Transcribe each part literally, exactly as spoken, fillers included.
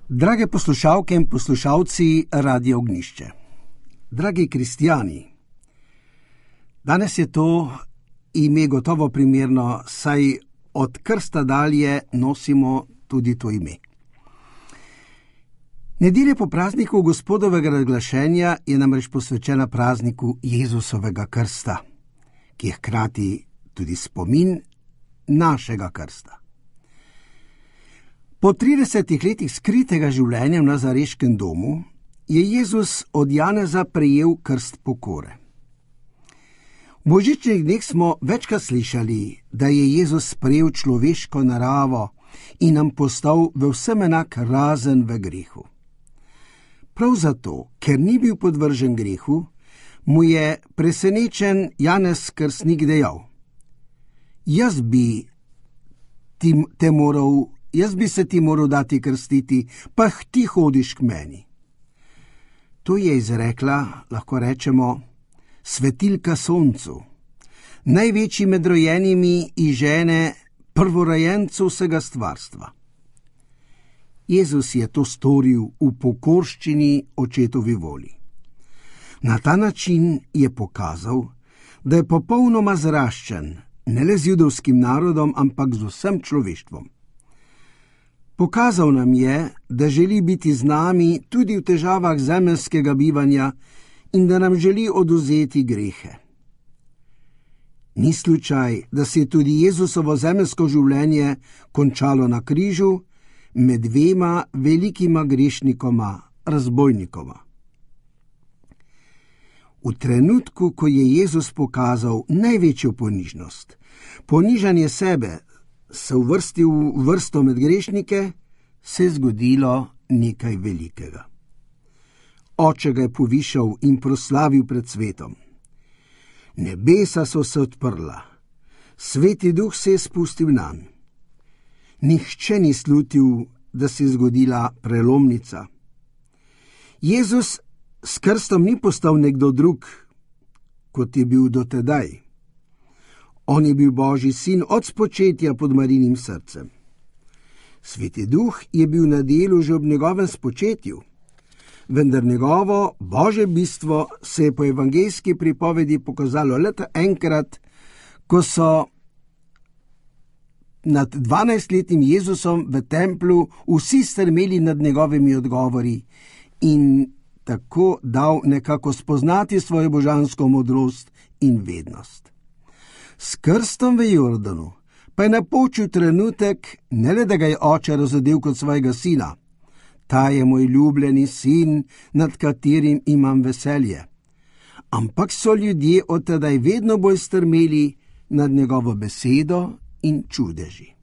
Drage poslušalke in poslušalci Radia Ognjišče, dragi kristijani, danes je to ime gotovo primerno, saj od krsta dalje nosimo tudi to ime. Nedelja po prazniku Gospodovega razglašenja je namreč posvečena prazniku Jezusovega krsta, ki je hkrati tudi spomin našega krsta. Po tridesetih letih skritega življenja v nazareškem domu je Jezus od Janeza prejel krst pokore. V božičnih dneh smo večkrat slišali, da je Jezus sprejel človeško naravo in nam postal v vsem enak razen v grehu. Prav zato, ker ni bil podvržen grehu, mu je presenečen Janez Krstnik dejal: Jaz bi ti te moral Jaz bi se ti moral dati krstiti, pa ti hodiš k meni. To je izrekla, lahko rečemo, svetilka soncu, največji med rojenimi in žene, prvorojencu vsega stvarstva. Jezus je to storil v pokorščini očetovi volji. Na ta način je pokazal, da je popolnoma zraščen, ne le z judovskim narodom, ampak z vsem človeštvom. Pokazal nam je, da želi biti z nami tudi v težavah zemeljskega bivanja in da nam želi odvzeti grehe. Ni slučaj, da se je tudi Jezusovo zemeljsko življenje končalo na križu med dvema velikima grešnikoma, razbojnikoma. V trenutku, ko je Jezus pokazal največjo ponižnost, ponižanje sebe, se uvrstil v vrsto med grešnike, se je zgodilo nekaj velikega. Oče ga je povišal in proslavil pred svetom. Nebesa so se odprla, Sveti Duh se je spustil nanj. Nihče ni slutil, da se je zgodila prelomnica. Jezus s krstom ni postal nekdo drug, kot je bil dotedaj. On je bil Božji sin od spočetja pod Marijinim srcem. Sveti Duh je bil na delu že ob njegovem spočetju, vendar njegovo Božje bistvo se je po evangeljski pripovedi pokazalo le enkrat, ko so nad dvanajstletnim Jezusom v templju vsi strmeli nad njegovimi odgovori in tako dal nekako spoznati svojo božansko modrost in vednost. S krstom v Jordanu pa je napočil trenutek, ne le da ga je oče razodel kot svojega sina. Ta je moj ljubljeni sin, nad katerim imam veselje. Ampak so ljudje od tedaj vedno bolj strmeli nad njegovo besedo in čudeži.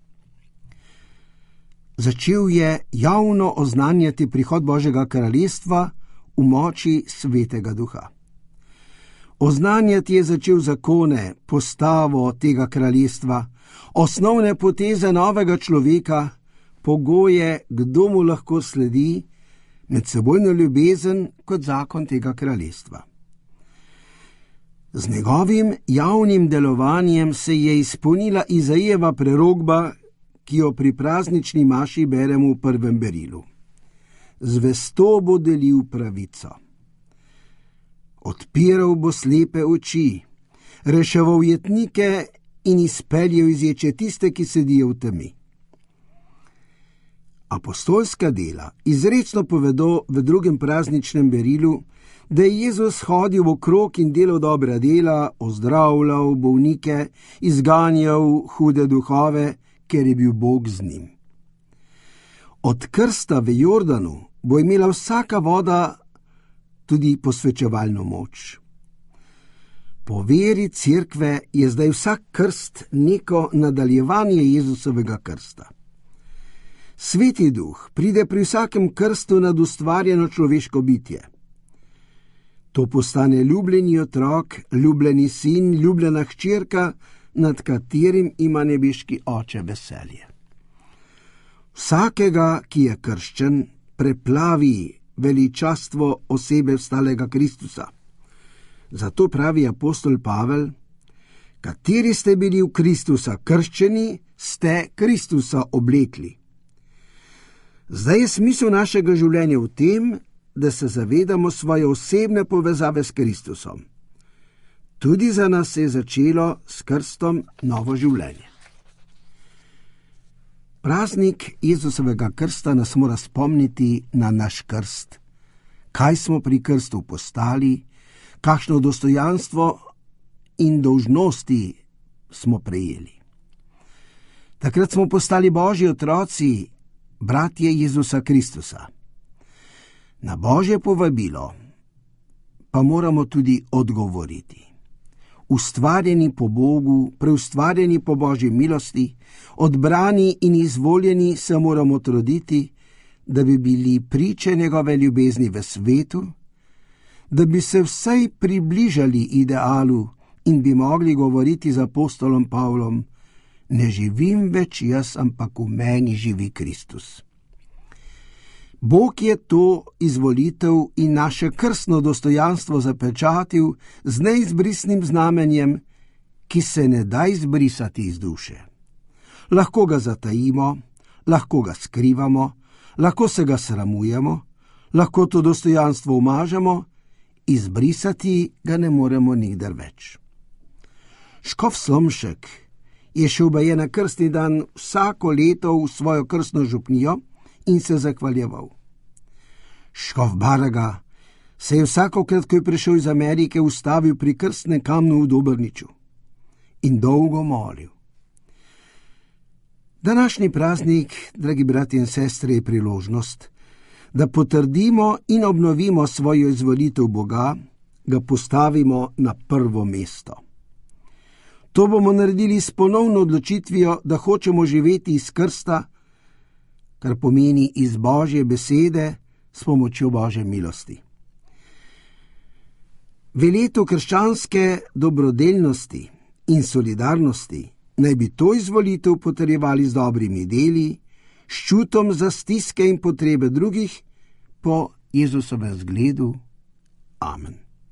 Začel je javno oznanjati prihod Božjega kraljestva v moči Svetega Duha. Oznanjati je začel zakone, postavo tega kraljestva, osnovne poteze novega človeka, pogoje, kdo mu lahko sledi, medsebojno ljubezen kot zakon tega kraljestva. Z njegovim javnim delovanjem se je izpolnila Izajeva prerokba, ki jo pri praznični maši beremo v prvem berilu. Zvesto bo delil pravico. Odpiral bo slepe oči, reševal jetnike in izpeljal iz ječe tiste, ki sedijo v temi. Apostolska dela izrecno povedo v drugem prazničnem berilu, da je Jezus hodil okrog in delal dobra dela, ozdravljal bolnike, izganjal hude duhove, ker je bil Bog z njim. Od krsta v Jordanu bo imela vsaka voda tudi posvečevalno moč. Po veri cerkve je zdaj vsak krst neko nadaljevanje Jezusovega krsta. Sveti Duh pride pri vsakem krstu nad ustvarjeno človeško bitje. To postane ljubljeni otrok, ljubljeni sin, ljubljena hčerka, nad katerim ima nebeški oče veselje. Vsakega, ki je krščen, preplavi veličastvo osebe vstalega Kristusa. Zato pravi apostol Pavel: kateri ste bili v Kristusa krščeni, ste Kristusa oblekli. Zdaj je smisel našega življenja v tem, da se zavedamo svoje osebne povezave s Kristusom. Tudi za nas se je začelo s krstom novo življenje. Praznik Jezusovega krsta nas mora spomniti na naš krst, kaj smo pri krstu postali, kakšno dostojanstvo in dolžnosti smo prejeli. Takrat smo postali Božji otroci, bratje Jezusa Kristusa. Na Božje povabilo pa moramo tudi odgovoriti. Ustvarjeni po Bogu, preustvarjeni po Božji milosti, odbrani in izvoljeni se moramo truditi, da bi bili priče njegove ljubezni v svetu, da bi se vsaj približali idealu in bi mogli govoriti z apostolom Pavlom: ne živim več jaz, ampak v meni živi Kristus. Bog je to izvolitev in naše krstno dostojanstvo zapečatil z neizbrisnim znamenjem, ki se ne da izbrisati iz duše. Lahko ga zatajimo, lahko ga skrivamo, lahko se ga sramujemo, lahko to dostojanstvo umažemo, izbrisati ga ne moremo nikdar več. Škof Slomšek je šel baje na krstni dan vsako leto v svojo krstno župnijo in se zahvaljeval. Škof Baraga se je vsakokrat, ko je prišel iz Amerike, ustavil pri krstnem kamnu v Dobrniču in dolgo molil. Današnji praznik, dragi bratje in sestre, je priložnost, da potrdimo in obnovimo svojo izvolitev Boga, ga postavimo na prvo mesto. To bomo naredili s ponovno odločitvijo, da hočemo živeti iz krsta, kar pomeni iz Božje besede s pomočjo Božje milosti. V letu krščanske dobrodelnosti in solidarnosti naj bi to izvolitev potrjevali z dobrimi deli, s čutom za stiske in potrebe drugih po Jezusovem zgledu. Amen.